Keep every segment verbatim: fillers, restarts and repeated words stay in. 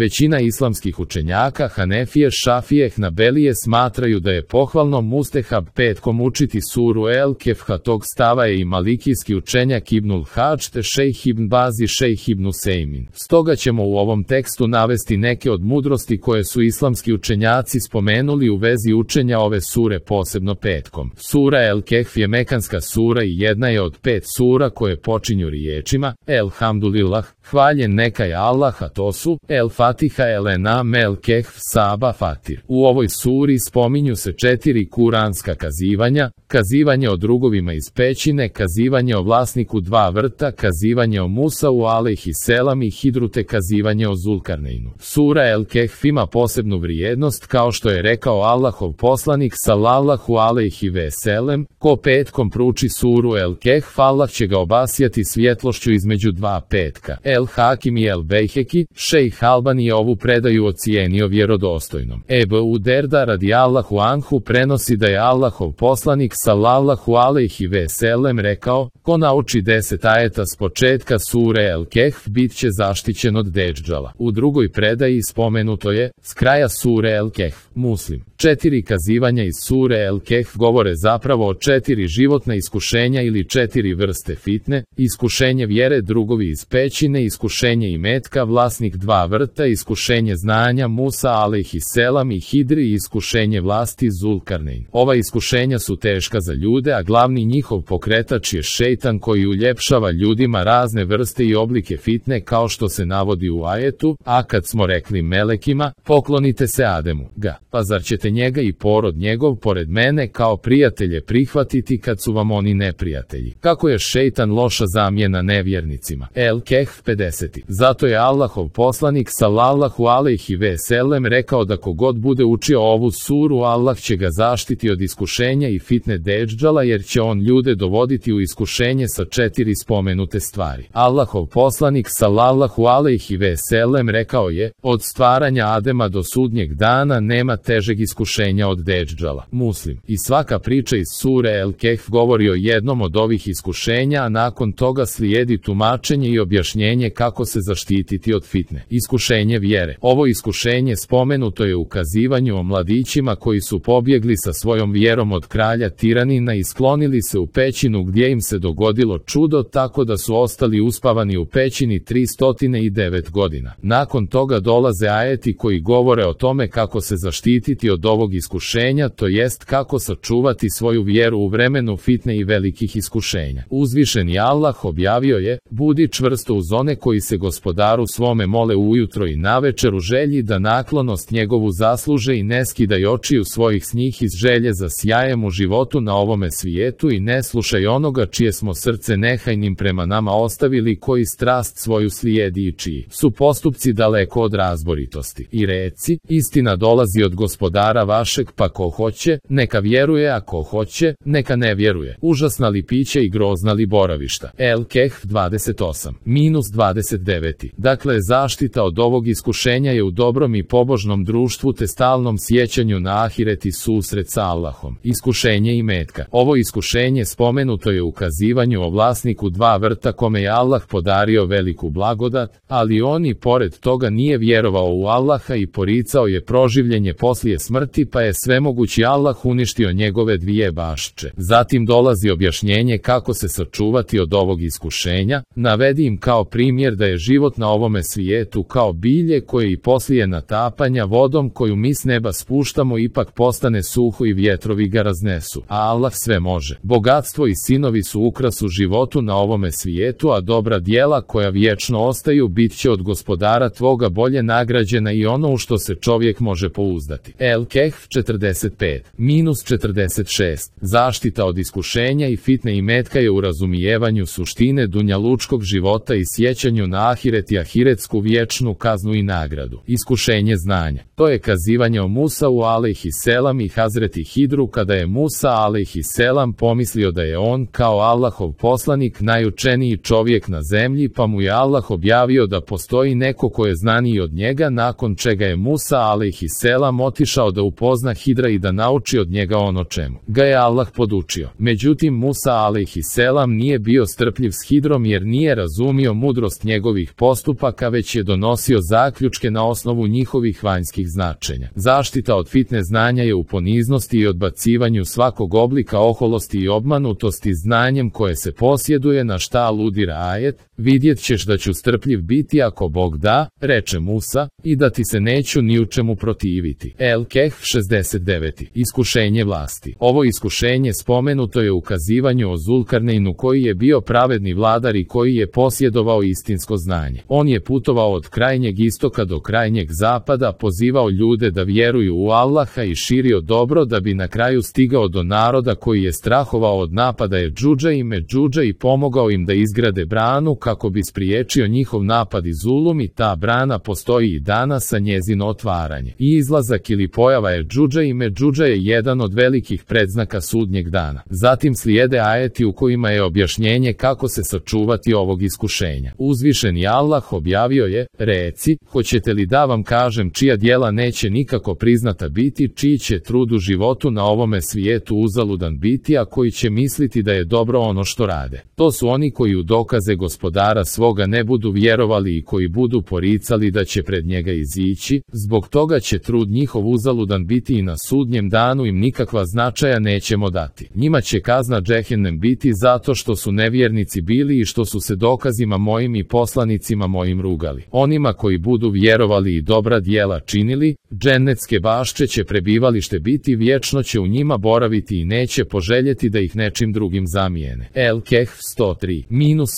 Većina islamskih učenjaka Hanefije, Šafije, Hnabelije smatraju da je pohvalno mustehab petkom učiti suru El Kehf, tog stava je i malikijski učenjak Ibnul Hadž te šejh Ibn Baz i šejh Ibn Usejmin. Stoga ćemo u ovom tekstu navesti neke od mudrosti koje su islamski učenjaci spomenuli u vezi učenja ove sure posebno petkom. Sura El Kehf je mekanska sura i jedna je od pet sura koje počinju riječima Elhamdulillah, hvaljen neka je Allah, a to su El Fatiha, El Enam, El Kehf, Saba, Fatir. U ovoj suri spominju se četiri kuranska kazivanja: kazivanje o drugovima iz pećine, kazivanje o vlasniku dva vrta, kazivanje o Musau alejhi selam i Hidru te kazivanje o Zulkarneinu. Sura El Kehf ima posebnu vrijednost, kao što je rekao Allahov poslanik sallallahu alejhi ve sellem: ko petkom prouči suru El Kehf, Allah će ga obasjati svjetlošću između dva petka. El Hakim i El Bejheki, šejh Albani je ovu predaju ocijenio vjerodostojnom. Ebu Derda radijallahu anhu prenosi da je Allahov poslanik sallallahu alejhi ve sellem rekao: ko nauči deset ajeta s početka sure El Kehf, bit će zaštićen od Dedžala. U drugoj predaji spomenuto je: s kraja sure El Kehf. Muslim. Četiri kazivanja iz sure El Kehf govore zapravo o četiri životna iskušenja ili četiri vrste fitne: iskušenje vjere, drugovi iz pećine, iskušenje imetka, vlasnik dva vrta, iskušenje znanja Musa alejhi selam i Hidri i iskušenje vlasti Zulkarnein. Ova iskušenja su teška za ljude, a glavni njihov pokretač je šejtan koji uljepšava ljudima razne vrste i oblike fitne, kao što se navodi u ajetu: a kad smo rekli melekima, poklonite se Ademu, ga, pa zar ćete njega i porod njegov pored mene kao prijatelje prihvatiti kad su vam oni neprijatelji? Kako je šejtan loša zamjena nevjernicima. El Kehf pedeset. Zato je Allahov poslanik sallallahu alejhi ve sellem rekao da kogod bude učio ovu suru, Allah će ga zaštiti od iskušenja i fitne Dedžala, jer će on ljude dovoditi u iskušenje sa četiri spomenute stvari. Allahov poslanik sallallahu alejhi ve sellem rekao je: od stvaranja Adema do sudnjeg dana nema težeg iskušenja od Dedžala. Muslim. I svaka priča iz sure El Kehf govori o jednom od ovih iskušenja, a nakon toga slijedi tumačenje i objašnjenje kako se zaštititi od fitne. Iskušenje vjere. Ovo iskušenje spomenuto je u kazivanju o mladićima koji su pobjegli sa svojom vjerom od kralja tiranina i sklonili se u pećinu, gdje im se dogodilo čudo, tako da su ostali uspavani u pećini tristo devet godina. Nakon toga dolaze ajeti koji govore o tome kako se zaštititi od ovog iskušenja, to jest kako sačuvati svoju vjeru u vremenu fitne i velikih iskušenja. Uzvišeni Allah objavio je: budi čvrsto uz one koji se gospodaru svome mole ujutro i navečer u želji da naklonost njegovu zasluže i ne skidaj očiju svojih s njih iz želje za sjajem u životu na ovome svijetu i ne slušaj onoga čije smo srce nehajnim prema nama ostavili, koji strast svoju slijedi i čiji su postupci daleko od razboritosti. I reci: istina dolazi od gospodara vašeg, pa ko hoće, neka vjeruje, a ko hoće, neka ne vjeruje. Užasna li piće i grozna li boravišta. El Kehf dvadeset osam minus dvadeset devet. Dakle, zaštita od ovog iskušenja je u dobrom i pobožnom društvu te stalnom sjećanju na ahiret i susret sa Allahom. Iskušenje imetka. Ovo iskušenje spomenuto je u kazivanju o vlasniku dva vrta kome je Allah podario veliku blagodat, ali on i pored toga nije vjerovao u Allaha i poricao je proživljenje poslije smrti, pa je svemogući Allah uništio njegove dvije bašče. Zatim dolazi objašnjenje kako se sačuvati od ovog iskušenja. Navedi im kao primjer da je život na ovome svijetu kao bilje koje i poslije natapanja vodom koju mi s neba spuštamo ipak postane suho i vjetrovi ga raznesu. A Allah sve može. Bogatstvo i sinovi su ukras u životu na ovome svijetu, a dobra djela koja vječno ostaju bit će od gospodara tvoga bolje nagrađena i ono u što se čovjek može pouzdati. El Kehf četrdeset pet minus četrdeset šest. Zaštita od iskušenja i fitne imetka je u razumijevanju suštine dunjalučkog života i sjećanju na ahiret i ahiretsku vječnu kaznu i nagradu. Iskušenje znanja. To je kazivanje o Musau alejhi selam i Hazreti Hidru, kada je Musa alejhi selam pomislio da je on kao Allahov poslanik najučeniji čovjek na zemlji, pa mu je Allah objavio da postoji neko ko je znaniji od njega, nakon čega je Musa alejhi selam otišao da upozna Hidra i da nauči od njega ono čemu ga je Allah podučio. Međutim, Musa alejhi selam nije bio strpljiv s Hidrom jer nije razumio mudrost istinitost njegovih postupaka, već je donosio zaključke na osnovu njihovih vanjskih značenja. Zaštita od fitne znanja je u poniznosti i odbacivanju svakog oblika oholosti i obmanutosti znanjem koje se posjeduje, na šta aludira ajet: vidjet ćeš da ću strpljiv biti ako Bog da, reče Musa, i da ti se neću ni u čemu protiviti. El-Kehf šezdeset devet. Iskušenje vlasti. Ovo iskušenje spomenuto je u ukazivanju o Zulkarneinu, koji je bio pravedni vladar i koji je posjedovao istinsko znanje. On je putovao od krajnjeg istoka do krajnjeg zapada, pozivao ljude da vjeruju u Allaha i širio dobro, da bi na kraju stigao do naroda koji je strahovao od napada Jedžudža i Medžudža i pomogao im da izgrade branu kako bi spriječio njihov napad i zulum, i ta brana postoji i danas, sa njezino otvaranje i izlazak ili pojava Jedžudža i Medžudža je jedan od velikih predznaka sudnjeg dana. Zatim slijede ajeti u kojima je objašnjenje kako se sačuvati ovog iskušenja. Uzvišeni Allah objavio je: reci, hoćete li da vam kažem čija djela neće nikako priznata biti, čiji će trud u životu na ovome svijetu uzaludan biti, a koji će misliti da je dobro ono što rade. To su oni koji u dokaze Gospodara svoga ne budu vjerovali i koji budu poricali da će pred njega izići, zbog toga će trud njihov uzaludan biti i na sudnjem danu im nikakva značaja nećemo dati. Njima će kazna džehennem biti zato što su nevjernici bili i što su se dokazima mojim i poslanicima mojim rugali. Onima koji budu vjerovali i dobra djela činili, džennetske bašče će prebivalište biti, vječno će u njima boraviti i neće poželjeti da ih nečim drugim zamijene. El-Kehf sto tri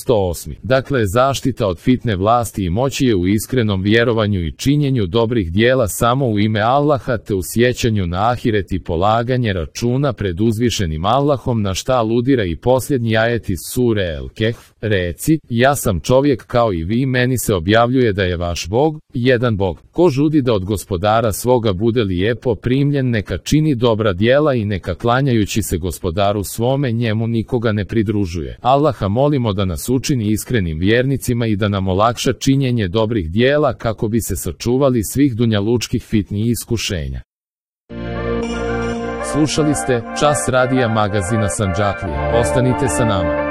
sto osam. Dakle, zaštita od fitne vlasti i moći je u iskrenom vjerovanju i činjenju dobrih djela samo u ime Allaha, te u sjećanju na ahiret i polaganje računa pred uzvišenim Allahom, na šta aludira i posljednji ajet iz sure El-Kehf: reci, ja sam čovjek kao i vi, meni se objavljuje da je vaš Bog jedan Bog. Ko žudi da od Gospodara svoga bude lijepo primljen, neka čini dobra djela i neka klanjajući se Gospodaru svome njemu nikoga ne pridružuje. Allaha molimo da nas učini iskrenim vjernicima i da nam olakša činjenje dobrih djela kako bi se sačuvali svih dunjalučkih fitni i iskušenja. Slušali ste Čas radija magazina Sandžaklija. Ostanite sa nama.